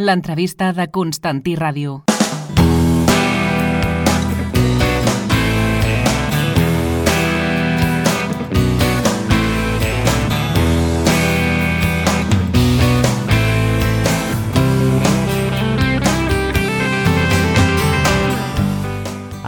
L'entrevista de Constantí Ràdio.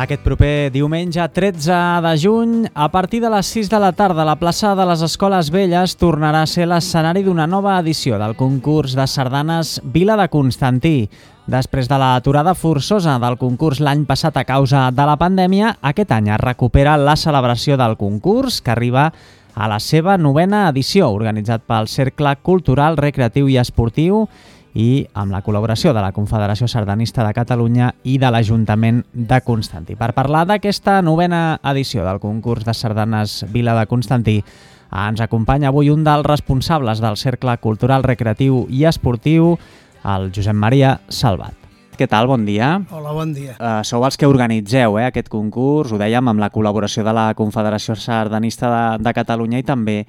Aquest proper diumenge 13 de juny, a partir de les 6 de la tarda, la plaça de les Escoles Velles tornarà a ser l'escenari d'una nova edició del concurs de sardanes Vila de Constantí. Després de l'aturada forçosa del concurs l'any passat a causa de la pandèmia, aquest any es recupera la celebració del concurs, que arriba a la seva 9a edició, organitzat pel Cercle Cultural, Recreatiu i Esportiu, i amb la col·laboració de la Confederació Sardanista de Catalunya i de l'Ajuntament de Constantí. Per parlar d'aquesta 9a edició del concurs de sardanes Vila de Constantí, ens acompanya avui un dels responsables del Cercle Cultural, Recreatiu i Esportiu, el Josep Maria Salvat. Què tal? Bon dia. Hola, bon dia. Sou els que organitzeu aquest concurs, ho dèiem, amb la col·laboració de la Confederació Sardanista de Catalunya i també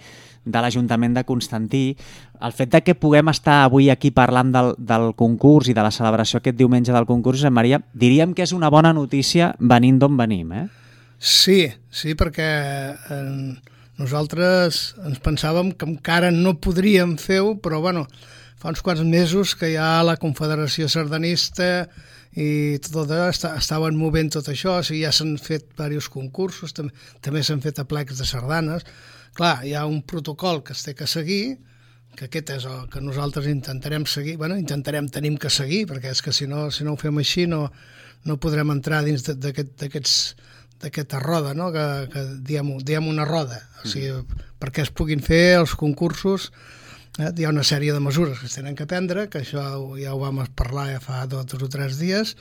de l'Ajuntament de Constantí. El fet de que puguem estar avui aquí parlant del concurs i de la celebració aquest diumenge del concurs, Josep Maria, diríem que és una bona notícia venint d'on venim, eh? Sí, perquè nosaltres ens pensàvem que encara no podríem fer-ho, però bueno, fa uns quants mesos que ja la Confederació Sardanista i tot estaven movent tot això, o sigui, ja s'han fet diversos concursos, també s'han fet aplecs de sardanes. Clar, hi ha un protocol que es té que seguir, que aquest és el que nosaltres intentarem seguir, tenim que seguir, perquè és que si no ho fem així no podrem entrar dins d'aquesta roda, no? que diem una roda, o sigui, perquè es puguin fer els concursos. Hi ha una sèrie de mesures que es tenen que prendre, que això ja ho vam parlar ja fa 2 o 3 dies,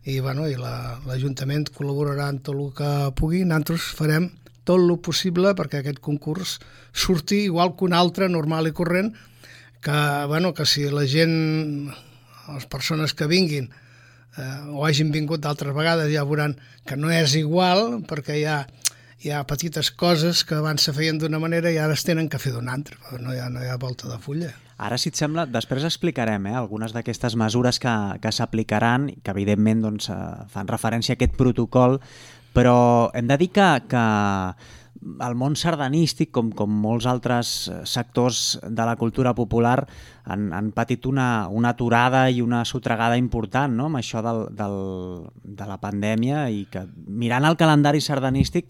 i l'Ajuntament col·laborarà en tot el que pugui. Nosaltres farem tot el possible perquè aquest concurs surti igual que un altre normal i corrent, que si la gent, les persones que vinguin o hagin vingut d'altres vegades, ja veuran que no és igual, perquè hi ha petites coses que abans se feien d'una manera i ara es tenen que fer d'una altra, no hi ha volta de fulla. Ara, si et sembla, després explicarem algunes d'aquestes mesures que s'aplicaran, que evidentment fan referència a aquest protocol, però hem de dir que el món sardanístic, com molts altres sectors de la cultura popular, han patit una aturada i una sotregada important, no?, amb això de la pandèmia, i que mirant el calendari sardanístic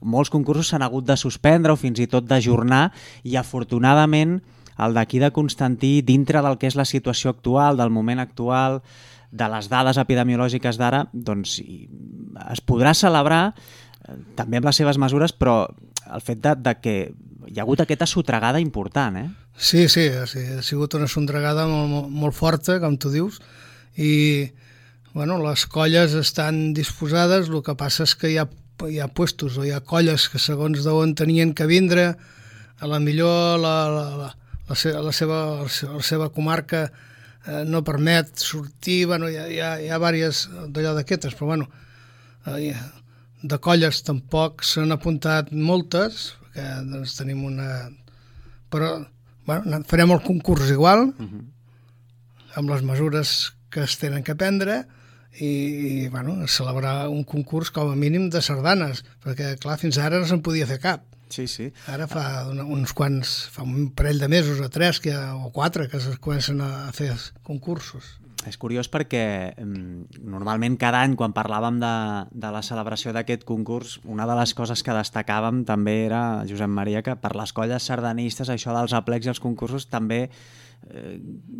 molts concursos s'han hagut de suspendre o fins i tot d'ajornar, i afortunadament el d'aquí de Constantí, dintre del que és la situació actual, del moment actual, de les dades epidemiològiques d'ara, doncs es podrà celebrar també amb les seves mesures, però el fet de que hi ha hagut aquesta sotregada important, eh? Sí, ha sigut una sotregada molt forta, com tu dius, i les colles estan disposades, el que passa és que hi ha puestos o hi ha colles que segons d'on tenien que vindre, a la millor la seva comarca no permet sortir, hi ha diverses d'allò d'aquestes, però de colles tampoc s'han apuntat moltes, perquè tenim una... Però farem el concurs igual, amb les mesures que es tenen que prendre, i celebrar un concurs com a mínim de sardanes, perquè clar, fins ara no se'n podia fer cap. Sí. Ara fa un parell de mesos o 3 o 4 que es comencen a fer concursos. És curiós perquè normalment cada any quan parlàvem de la celebració d'aquest concurs, una de les coses que destacàvem també era, Josep Maria, que per les colles sardanistes això dels aplecs i els concursos també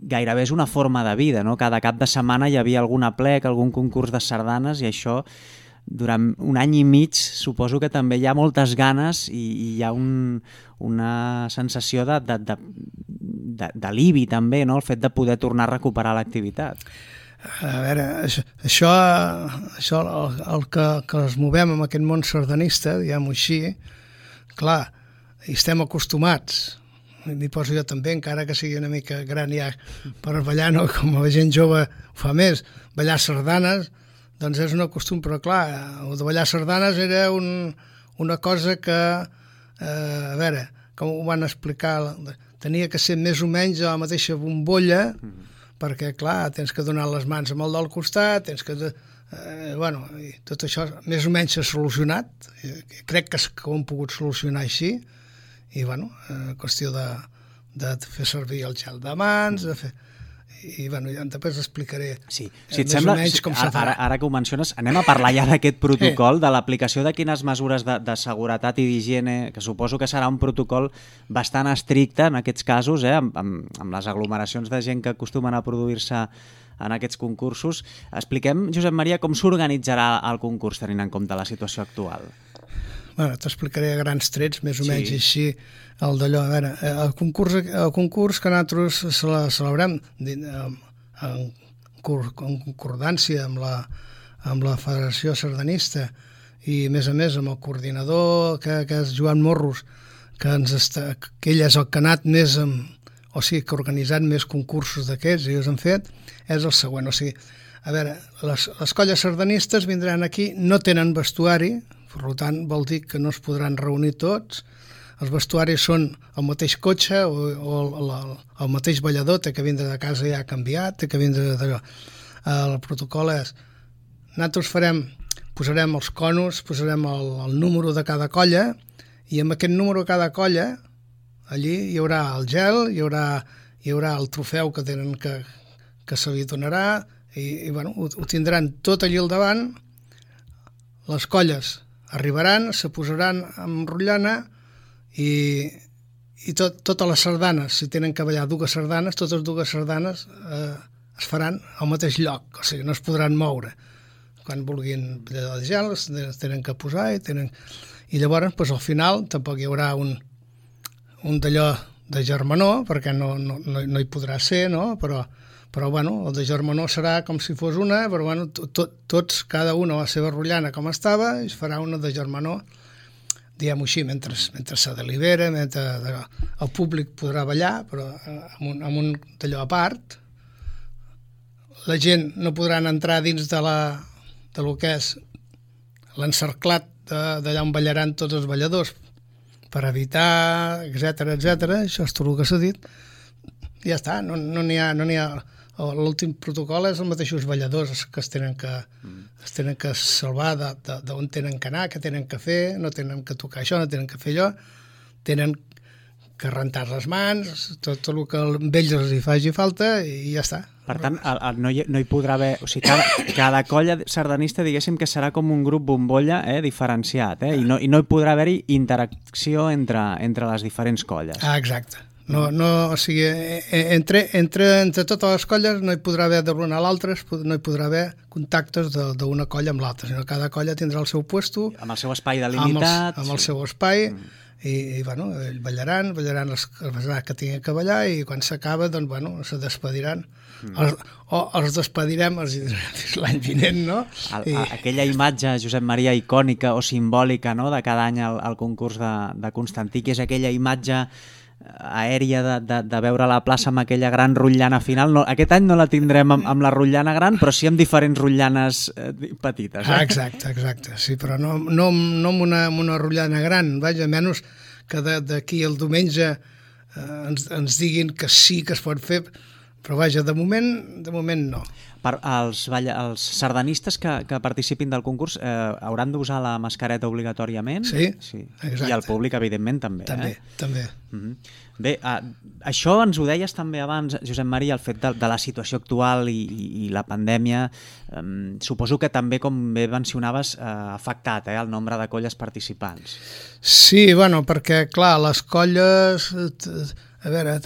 gairebé és una forma de vida, no? Cada cap de setmana hi havia algun aplec, algun concurs de sardanes, i això durant un any i mig suposo que també hi ha moltes ganes i hi ha una sensació d'alivi també, no?, el fet de poder tornar a recuperar l'activitat. A veure, això el que es movem en aquest món sardanista, diguem-ho així, clar, hi estem acostumats, m'hi poso jo també, encara que sigui una mica gran ja per ballar, no? Com la gent jove ho fa més, ballar sardanes, doncs és un costum, però clar, el de ballar sardanes era una cosa que, a veure, com ho van explicar, tenia que ser més o menys a la mateixa bombolla, perquè, clar, tens que donar les mans amb el del costat, tens que... i tot això més o menys s'ha solucionat. Crec que ho hem pogut solucionar així. I, qüestió de fer servir el gel de mans, de fer... I, ja després explicaré si et sembla, com se farà. Ara que ho menciones, anem a parlar ja d'aquest protocol, de l'aplicació de quines mesures de seguretat i d'higiene, que suposo que serà un protocol bastant estricte en aquests casos, amb les aglomeracions de gent que acostumen a produir-se en aquests concursos. Expliquem, Josep Maria, com s'organitzarà el concurs tenint en compte la situació actual. T'explicaré a grans trets, més o menys així, el d'allò. A veure, el concurs que nosaltres celebrem en concordància amb la Federació Sardanista i, a més amb el coordinador, que és Joan Morros, que ell és el que ha anat més que ha organitzat més concursos d'aquests i els han fet, és el següent. A veure, les colles sardanistes vindran aquí, no tenen vestuari, per tant vol dir que no es podran reunir tots. Els vestuaris són el mateix cotxe o el mateix ballador, té que vindre de casa ja canviat, té que vindre d'allò. El protocol és, nosaltres posarem els conos, posarem el número de cada colla i amb aquest número de cada colla allí hi haurà el gel, hi haurà el trofeu que tenen que se li donarà i ho tindran tot allí al davant. Les colles arribaran, se posaran amb rotllana i totes les sardanes, si tenen que ballar dues sardanes, totes dues sardanes es faran al mateix lloc, o sigui, no es podran moure. Quan vulguin ballar de gel es tenen que posar i llavors al final tampoc hi haurà un d'allò de germanor, perquè no hi podrà ser, no? Però el de germanor serà com si fos una, però tots, cada una a la seva rotllana com estava, i es farà una de germanor, diguem-ho així, mentre se delibera, mentre el públic podrà ballar, però amb un d'allò a part. La gent no podran entrar dins de lo que és l'encerclat d'allà on ballaran tots els balladors, per evitar, etc. Això és tot el que s'ha dit. Ja està, no n'hi ha... L'últim protocol és els mateixos balladors que es tenen que salvar d'on tenen que anar, què tenen que fer, no tenen que tocar això, no tenen que fer allò, tenen que rentar les mans, tot el que a ells els hi faci falta i ja està. Per tant, no hi podrà haver... O sigui, cada colla sardanista, diguéssim que serà com un grup bombolla diferenciat, i no hi podrà haver-hi interacció entre les diferents colles. Exacte. O sigui, entre totes les colles no hi podrà haver de l'una a l'altra, no hi podrà haver contactes d'una colla amb l'altra, sinó que cada colla tindrà el seu puesto, amb el seu espai delimitat, amb el seu espai, i ballaran les que tinguin que ballar, i quan s'acaba, se despediran. Els despedirem l'any vinent, no? Aquella imatge, Josep Maria, icònica o simbòlica, no?, de cada any al concurs de Constantí, que és aquella imatge aèria de veure la plaça amb aquella gran rotllana final. Aquest any no la tindrem amb la rotllana gran, però sí amb diferents rotllanes petites. Exacte. Sí, però no amb una rotllana gran. Vaja, menys que d'aquí el diumenge ens diguin que sí que es pot fer, però vaja, de moment no. Els sardanistes que participin del concurs hauran d'usar la mascareta obligatòriament? Sí, exacte. I el públic, evidentment, també. També. Bé, això ens ho deies també abans, Josep Maria, el fet de la situació actual i la pandèmia. Suposo que també, com bé mencionaves, ha afectat el nombre de colles participants. Sí, perquè, clar, les colles... A veure...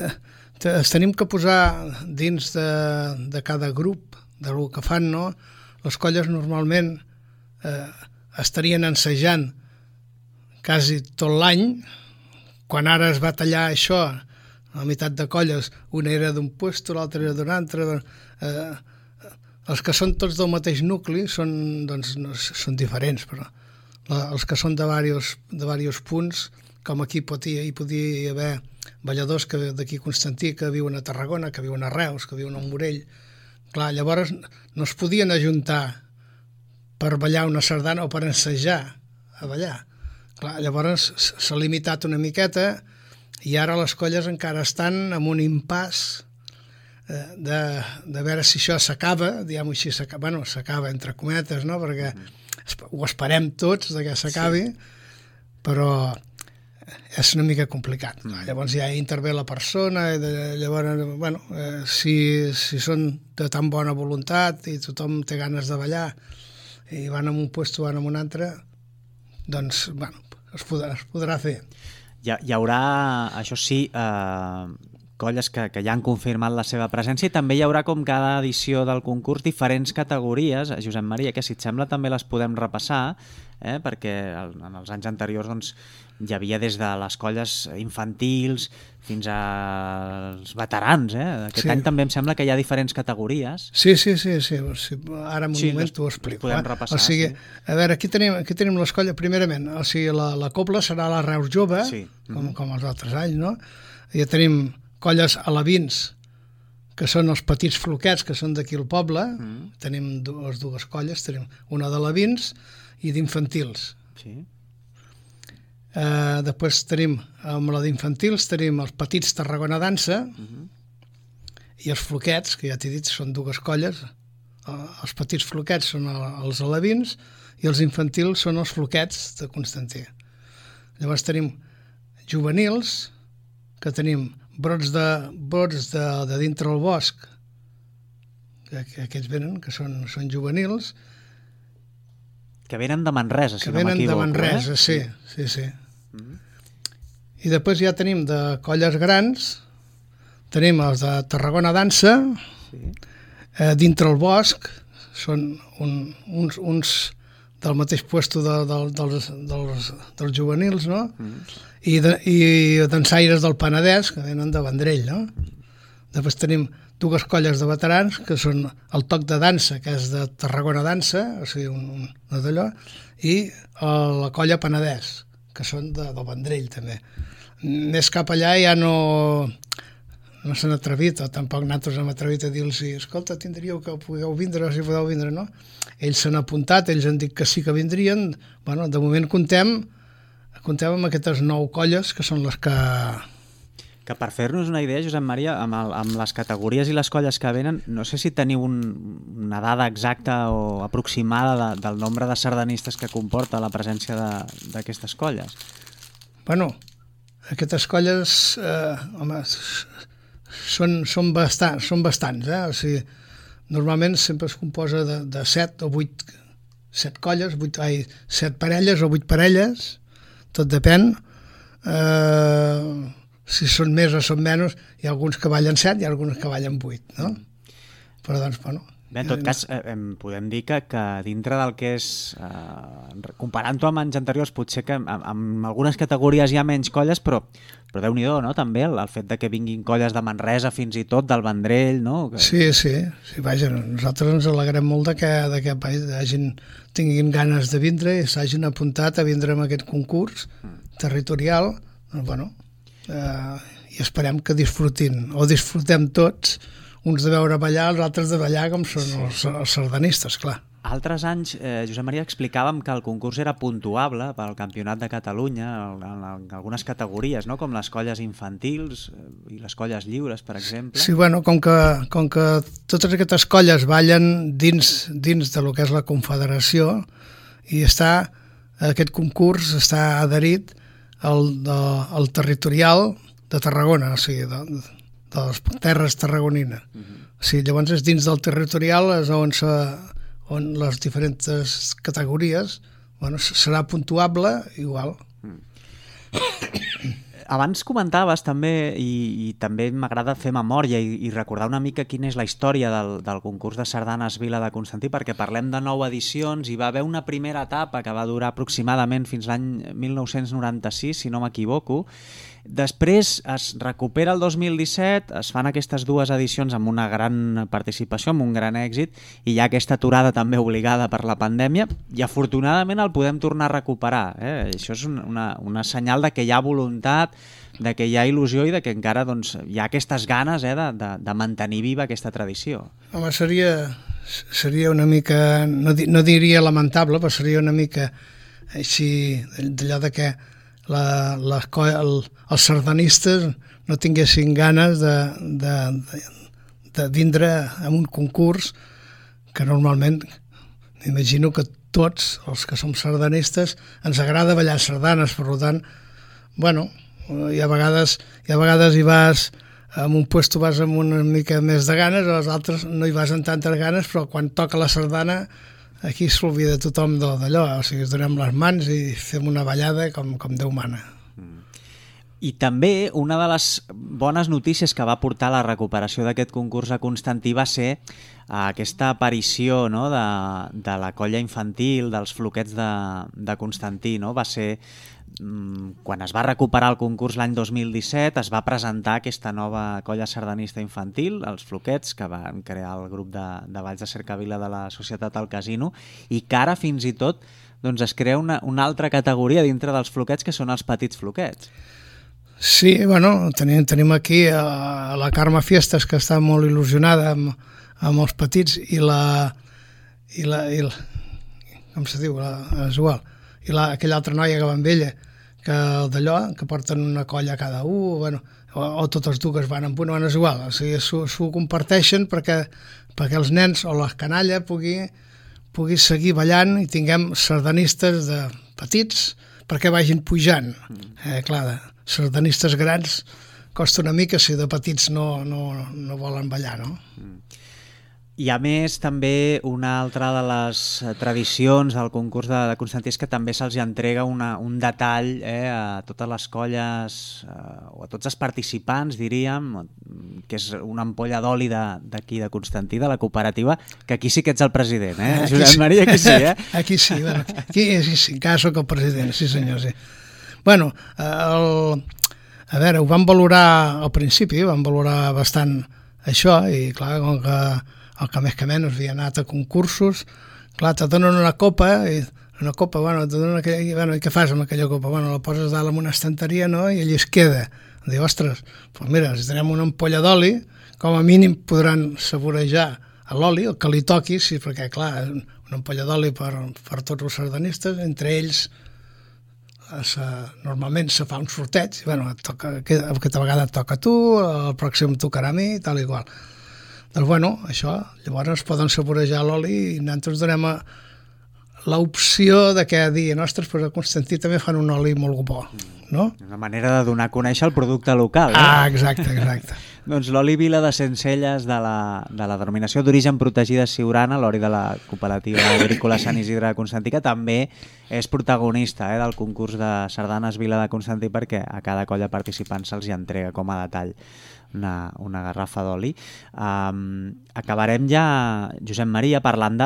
Es tenim que posar dins de cada grup del que fan, no? Les colles normalment estarien ensajant quasi tot l'any. Quan ara es va tallar això, la meitat de colles, una era d'un puesto, l'altra era d'un altre. Els que són tots del mateix nucli són diferents, però els que són de diversos punts, com aquí hi podia haver balladors d'aquí Constantí que viuen a Tarragona, que viuen a Reus, que viuen a Morell. Clar, llavors no es podien ajuntar per ballar una sardana o per ensejar a ballar. Clar, llavors s'ha limitat una miqueta i ara les colles encara estan en un impàs de veure si això s'acaba, diguem-ho així, s'acaba entre cometes, no? Perquè ho esperem tots que s'acabi, però és una mica complicat. Llavors ja intervé la persona, i llavors, si són de tan bona voluntat i tothom té ganes de ballar i van a un puesto, van a un altre, doncs, es podrà fer. Hi haurà, això sí, colles que ja han confirmat la seva presència, i també hi haurà, com cada edició del concurs, diferents categories, Josep Maria, que si et sembla també les podem repassar, perquè en els anys anteriors doncs, hi havia des de les colles infantils fins als veterans. Aquest any també em sembla que hi ha diferents categories. Sí. Ara en un moment t'ho explico. Podem repassar. O sigui, a veure, aquí tenim les colles, primerament, o sigui, la cobla serà la Reus Jove, com els altres anys, no? Ja tenim colles alevins, que són els petits floquets, que són d'aquí al poble. Tenim les dues colles, tenim una d'alevins i d'infantils. Sí. Després tenim, amb la d'infantils, tenim els petits Tarragona Dansa i els floquets, que ja t'he dit, són dues colles. Els petits floquets són els alevins i els infantils són els floquets de Constantí. Llavors tenim juvenils, que tenim brots de dintre el bosc, que aquests venen, que són juvenils. Que venen de Manresa, si no m'equivoco. Que venen de Manresa, sí. I després ja tenim de colles grans, tenim els de Tarragona Dansa, dintre el bosc, són uns del mateix puesto dels juvenils, no? I dansaires del Penedès, que venen de Vendrell, no? Després tenim dues colles de veterans, que són el Toc de Dansa, que és de Tarragona Dansa, o sigui, una d'allò, i la colla Penedès, que són del Vendrell, també. Més cap allà ja no s'han atrevit, o tampoc nosaltres hem atrevit a dir-los, escolta, tindríeu que podeu vindre, si podeu vindre, no? Ells s'han apuntat, ells han dit que sí que vindrien. Bueno, de moment comptem amb aquestes 9 colles, que són les que... Que per fer-nos una idea, Josep Maria, amb les categories i les colles que venen, no sé si teniu una dada exacta o aproximada del nombre de sardanistes que comporta la presència d'aquestes colles. Bueno, aquestes colles, són bastants, O sigui, normalment sempre es composa de 7 o 8, 7 colles, 7 parelles o 8 parelles, tot depèn. Si són més o són menys, hi ha alguns que ballen 7 i alguns que ballen 8, no? Però doncs, bueno... Bé, en tot cas, podem dir que dintre del que és... Comparant-ho amb anys anteriors, potser que en algunes categories hi ha menys colles, però Déu-n'hi-do, no?, també, el fet de que vinguin colles de Manresa, fins i tot, del Vendrell, no? Sí, vaja, nosaltres ens alegrem molt que aquest país tinguin ganes de vindre i s'hagin apuntat a vindre en aquest concurs territorial, bueno... i esperem que disfrutem tots, uns de veure ballar, els altres de ballar com són els sardanistes, clar. Altres anys, Josep Maria, explicàvem que el concurs era puntuable pel Campionat de Catalunya en algunes categories, no? Com les colles infantils i les colles lliures, per exemple. Sí, bueno, com que totes aquestes colles ballen dins de lo que és la Confederació, i aquest concurs està adherit al territorial de Tarragona, o sigui, de les terres tarragonines. O sigui, llavors és dins del territorial on les diferents categories serà puntuable igual. Abans comentaves també, i també m'agrada fer memòria i recordar una mica quina és la història del concurs de sardanes Vila de Constantí, perquè parlem de 9 edicions, i va haver una primera etapa que va durar aproximadament fins l'any 1996, si no m'equivoco. Després es recupera el 2017, es fan aquestes 2 edicions amb una gran participació, amb un gran èxit, i hi ha aquesta aturada també obligada per la pandèmia, i afortunadament el podem tornar a recuperar. Això és una senyal de que hi ha voluntat, de que hi ha il·lusió i de que encara hi ha aquestes ganes de mantenir viva aquesta tradició. Home, seria una mica, no diria lamentable, però seria una mica així, d'allò de que els sardanistes no tinguessin ganes de de vindre a un concurs que normalment m'imagino que tots els que som sardanistes ens agrada ballar sardanes, per tant, bueno, i a vegades hi vas en un puesto vas amb una mica més de ganes, a les altres no hi vas amb tantes ganes, però quan toca la sardana aquí s'olvida tothom d'allò, o sigui, es donem les mans i fem una ballada com Déu mana. I també una de les bones notícies que va portar la recuperació d'aquest concurs a Constantí va ser aquesta aparició, no?, de la colla infantil, dels floquets de Constantí. No? Va ser, quan es va recuperar el concurs l'any 2017, es va presentar aquesta nova colla sardanista infantil, els floquets, que van crear el grup de Valls de Cercavila de la Societat al Casino, i que ara fins i tot doncs, es crea una altra categoria dintre dels floquets, que són els petits floquets. Sí, bueno, tenim aquí a la Carme Fiestas, que està molt il·lusionada amb els petits, i com se diu? És igual. I aquella altra noia que va amb ella, que d'allò, que porten una colla cada un, bueno, o totes dues van amb una, és igual. O sigui, s'ho comparteixen perquè els nens o la canalla pugui seguir ballant i tinguem sardanistes de petits perquè vagin pujant. Clar, sardanistes grans costa una mica si de petits no volen ballar, no? I a més també una altra de les tradicions del concurs de Constantí és que també se'ls entrega un detall a totes les colles o a tots els participants, diríem, que és una ampolla d'oli d'aquí de Constantí, de la cooperativa, que aquí sí que ets el president, Josep Maria, aquí sí, Aquí sí, bueno, aquí sí, encara soc el president, sí senyor, sí. Bueno, a veure, ho vam valorar al principi, vam valorar bastant això, i clar, com que el que més que menys havia anat a concursos, clar, te donen una copa, bueno, te donen i què fas amb aquella copa? Bueno, la poses dalt en una estanteria, no?, i allà es queda. Diu, ostres, doncs mira, si tenim una ampolla d'oli, com a mínim podran saborejar l'oli, el que li toqui, sí, perquè clar, una ampolla d'oli per tots els sardanistes, entre ells normalment se fa un sorteig, i bueno, aquesta vegada et toca a tu, el pròxim tocarà a mi, tal i qual. Doncs bueno, això, llavors poden saborejar l'oli i nosaltres donem l'opció de que diguin, ostres, però a Constantí també fan un oli molt bo, no? Una manera de donar a conèixer el producte local. Exacte. Doncs l'oli Vila de Sencelles de la denominació d'origen protegida Siurana, l'oli de la cooperativa agrícola Sant Isidre de Constantí, que també és protagonista del concurs de sardanes Vila de Constantí, perquè a cada colla participant se'ls hi entrega com a detall una garrafa d'oli. Acabarem ja, Josep Maria, parlant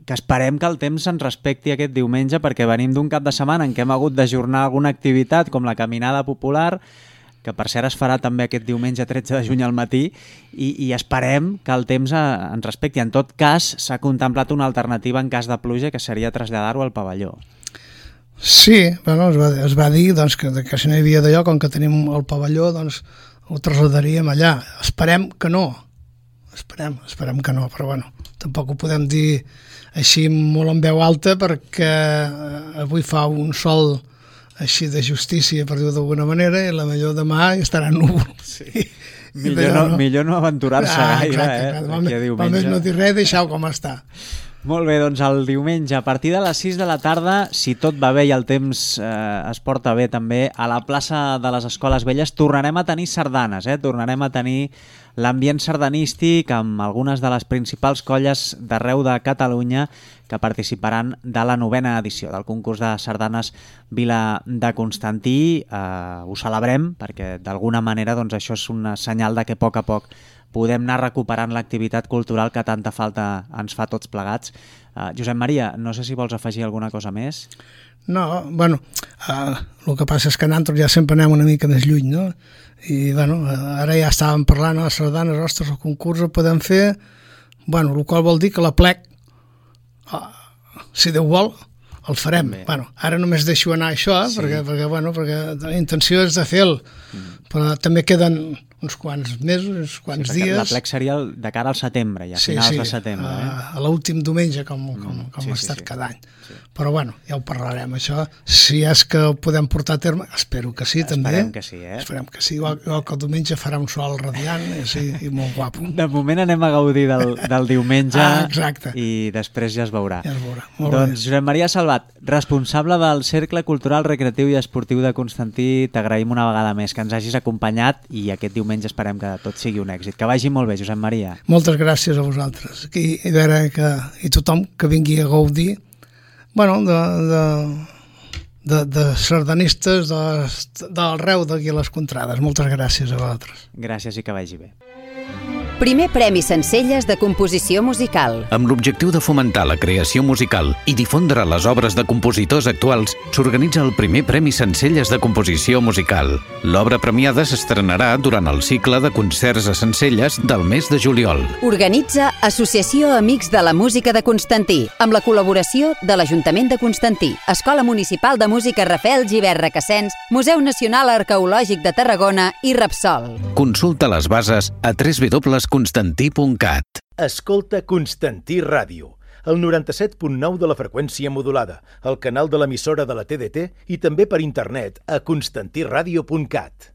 que esperem que el temps ens respecti aquest diumenge, perquè venim d'un cap de setmana en què hem hagut d'ajornar alguna activitat com la caminada popular, que per cert es farà també aquest diumenge 13 de juny al matí, i esperem que el temps ens respecti. En tot cas, s'ha contemplat una alternativa en cas de pluja, que seria traslladar-ho al pavelló. Sí, bueno, es va dir doncs, que si no hi havia d'allò, com que tenim el pavelló, doncs ho traslladaríem allà. Esperem que no, però bueno, tampoc ho podem dir així molt en veu alta, perquè avui fa un sol així de justícia, per dir-ho d'alguna manera, i la millor demà estarà núvol. Sí. Millor no aventurar-se gaire, aquí a diumenge. Només no dir res, deixar-ho com està. Molt bé, doncs el diumenge, a partir de les 6 de la tarda, si tot va bé i el temps es porta bé també, a la plaça de les Escoles Velles tornarem a tenir sardanes, tornarem a tenir l'ambient sardanístic amb algunes de les principals colles d'arreu de Catalunya que participaran de la 9a edició del concurs de sardanes Vila de Constantí. Ho celebrem perquè d'alguna manera doncs, això és un senyal de que a poc podem anar recuperant l'activitat cultural que tanta falta ens fa tots plegats. Josep Maria, no sé si vols afegir alguna cosa més? No, bueno, el que passa és que nosaltres ja sempre anem una mica més lluny, no? I bueno, ara ja estàvem parlant a les sardanes, ostres, el concurs el podem fer, bueno, el qual vol dir que la plec, si Déu vol, el farem. Bueno, ara només deixo anar això, sí. perquè la intenció és de fer-lo, però també queden uns quants mesos, uns quants dies. dies. L'aplec seria de cara al setembre, ja, finals de setembre. A l'últim diumenge, com ha estat cada any. Sí. Però bueno, ja ho parlarem, això. Si és que ho podem portar a terme, espero que sí, també. Esperem que sí, Esperem que sí, igual que el diumenge farà un sol radiant i molt guapo. De moment anem a gaudir del diumenge exacte. I després ja es veurà. Ja es veurà. Molt doncs Josep Maria Salvat, responsable del Cercle Cultural, Recreatiu i Esportiu de Constantí, t'agraïm una vegada més que ens hagis acompanyat i aquest diumenge esperem que tot sigui un èxit. Que vagi molt bé, Josep Maria. Moltes gràcies a vosaltres. I veure i tothom que vingui a gaudir de sardanistes d'arreu d'aquí a les Contrades. Moltes gràcies a vosaltres. Gràcies i que vagi bé. Primer Premi Sencelles de Composició Musical. Amb l'objectiu de fomentar la creació musical i difondre les obres de compositors actuals, s'organitza el Primer Premi Sencelles de Composició Musical. L'obra premiada s'estrenarà durant el cicle de concerts a Sencelles del mes de juliol. Organitza Associació Amics de la Música de Constantí, amb la col·laboració de l'Ajuntament de Constantí, Escola Municipal de Música Rafael Gibert Requesens, Museu Nacional Arqueològic de Tarragona i Repsol. Consulta les bases a www.constantí.cat. Escolta Constantí Ràdio, el 97.9 de la freqüència modulada, el canal de l'emissora de la TDT i també per internet a constantiradio.cat.